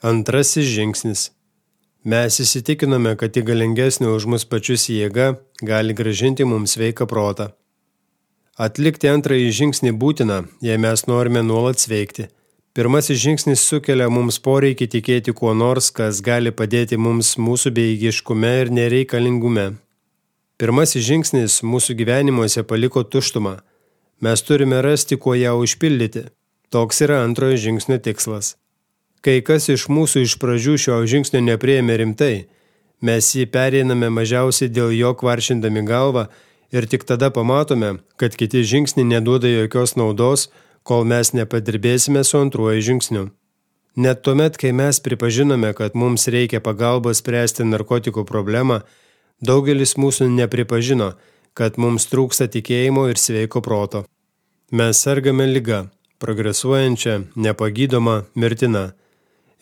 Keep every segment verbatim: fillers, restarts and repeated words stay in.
Antrasis žingsnis. Mes įsitikinome, kad į galingesnį už mus pačius jėga gali grąžinti mums sveiką protą. Atlikti antrąjį žingsnį būtina, jei mes norime nuolat sveikti. Pirmasis žingsnis sukelia mums poreikį tikėti kuo nors, kas gali padėti mums mūsų bejėgiškume ir nereikalingume. Pirmasis žingsnis mūsų gyvenimuose paliko tuštumą. Mes turime rasti, kuo ją užpildyti. Toks yra antrojo žingsnio tikslas. Kai kas iš mūsų iš pradžių šio žingsnio nepriėmė rimtai, mes jį pereiname mažiausiai dėl jo kvaršindami galvą ir tik tada pamatome, kad kiti žingsniai neduoda jokios naudos, kol mes nepadirbėsime su antruoju žingsniu. Net tuomet, kai mes pripažinome, kad mums reikia pagalbos spręsti narkotikų problemą, daugelis mūsų nepripažino, kad mums trūksta tikėjimo ir sveiko proto. Mes sergame liga, progresuojančia, nepagydoma, mirtina.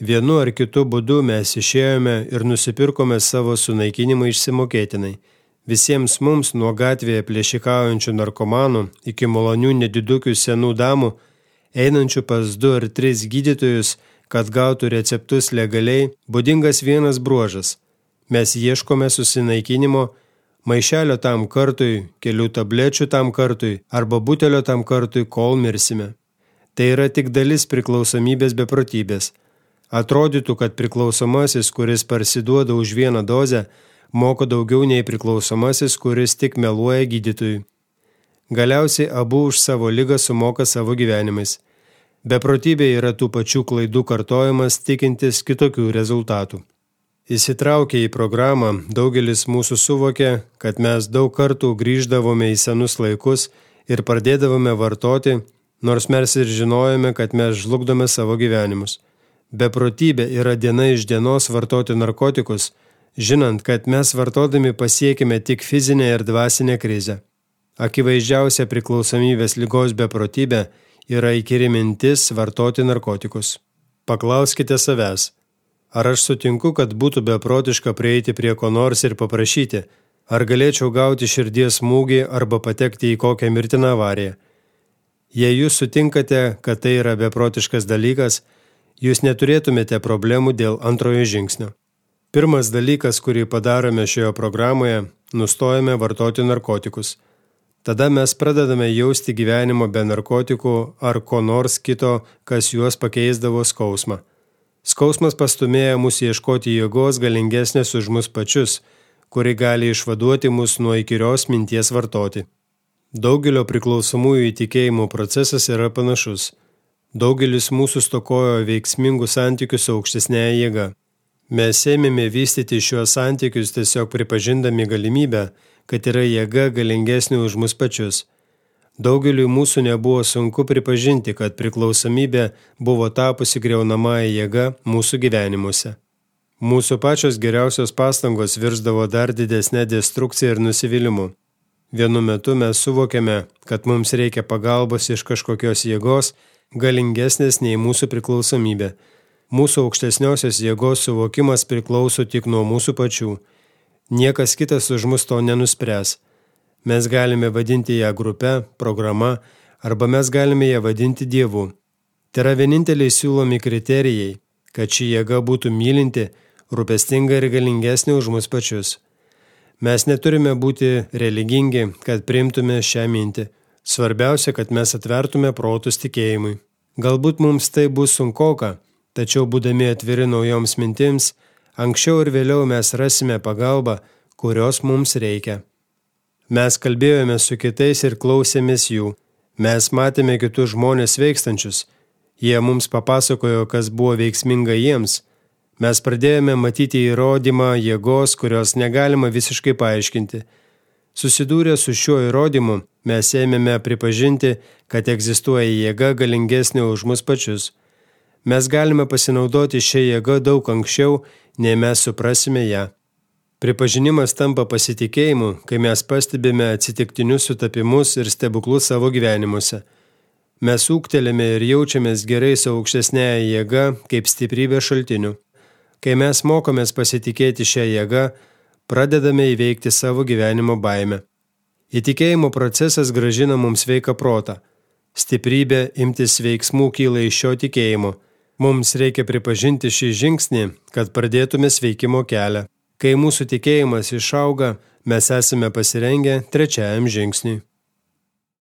Vienu ar kitu būdu mes išėjome ir nusipirkome savo sunaikinimą išsimokėtinai. Visiems mums nuo gatvėje plėšikaujančių narkomanų iki malonių nedidukių senų damų, einančių pas du ar tris gydytojus, kad gautų receptus legaliai, būdingas vienas bruožas. Mes ieškome susinaikinimo, maišelio tam kartui, kelių tablečių tam kartui arba butelio tam kartui, kol mirsime. Tai yra tik dalis priklausomybės beprotybės. Atrodytų, kad priklausomasis, kuris parsiduoda už vieną dozę, moka daugiau nei priklausomasis, kuris tik meluoja gydytojui. Galiausiai abu už savo ligą sumoka savo gyvenimais. Beprotybė yra tų pačių klaidų kartojimas, tikintis kitokių rezultatų. Įsitraukę į programą, daugelis mūsų suvokė, kad mes daug kartų grįždavome į senus laikus ir pradėdavome vartoti, nors mes ir žinojome, kad mes žlugdome savo gyvenimus. Beprotybė yra diena iš dienos vartoti narkotikus, žinant, kad mes vartodami pasiekime tik fizinę ir dvasinę krizę. Akivaizdžiausia priklausomybės ligos beprotybė yra įkyri mintis vartoti narkotikus. Paklauskite savęs, ar aš sutinku, kad būtų beprotiška prieiti prie ko nors ir paprašyti, ar galėčiau gauti širdies smūgį arba patekti į kokią mirtiną avariją. Jei jūs sutinkate, kad tai yra beprotiškas dalykas, jūs neturėtumėte problemų dėl antrojo žingsnio. Pirmas dalykas, kurį padarome šioje programoje, nustojame vartoti narkotikus. Tada mes pradedame jausti gyvenimo be narkotikų ar ko nors kito, kas juos pakeisdavo skausmą. Skausmas pastumėja mus ieškoti jėgos galingesnės už mus pačius, kuri gali išvaduoti mus nuo įkyrios minties vartoti. Daugelio priklausomųjų įtikėjimų procesas yra panašus. Daugelis mūsų stokojo veiksmingų santykių su aukštesnėje jėga. Mes ėmėme vystyti šiuos santykius tiesiog pripažindami galimybę, kad yra jėga galingesnė už mus pačius. Daugeliui mūsų nebuvo sunku pripažinti, kad priklausomybė buvo tapusi griaunamąją jėga mūsų gyvenimuose. Mūsų pačios geriausios pastangos virsdavo dar didesnė destrukcija ir nusivylimu. Vienu metu mes suvokėme, kad mums reikia pagalbos iš kažkokios jėgos, galingesnės nei mūsų priklausomybė. Mūsų aukštesniosios jėgos suvokimas priklauso tik nuo mūsų pačių. Niekas kitas už mus to nenuspręs. Mes galime vadinti ją grupe, programa, arba mes galime ją vadinti Dievu. Tai yra vieninteliai siūlomi kriterijai, kad ši jėga būtų mylinti, rūpestinga ir galingesnė už mus pačius. Mes neturime būti religingi, kad priimtume šią mintį. Svarbiausia, kad mes atvertume protus tikėjimui. Galbūt mums tai bus sunkoka, tačiau būdami atviri naujoms mintims, anksčiau ir vėliau mes rasime pagalbą, kurios mums reikia. Mes kalbėjome su kitais ir klausėmės jų. Mes matėme kitus žmonės veikstančius. Jie mums papasakojo, kas buvo veiksminga jiems. Mes pradėjome matyti įrodymą jėgos, kurios negalima visiškai paaiškinti. Susidūrę su šiuo įrodymu, mes ėmėme pripažinti, kad egzistuoja jėga galingesnė už mus pačius. Mes galime pasinaudoti šią jėgą daug anksčiau, nei mes suprasime ją. Pripažinimas tampa pasitikėjimu, kai mes pastebime atsitiktinius sutapimus ir stebuklus savo gyvenimuose. Mes ūgtelėme ir jaučiamės gerai su aukštesnėje jėga kaip stiprybė šaltiniu. Kai mes mokomės pasitikėti šią jėgą, pradedame įveikti savo gyvenimo baimę. Įtikėjimo procesas grąžina mums sveiką protą. Stiprybė imtis veiksmų kyla iš šio tikėjimo. Mums reikia pripažinti šį žingsnį, kad pradėtume sveikimo kelią. Kai mūsų tikėjimas išauga, mes esame pasirengę trečiajam žingsniui.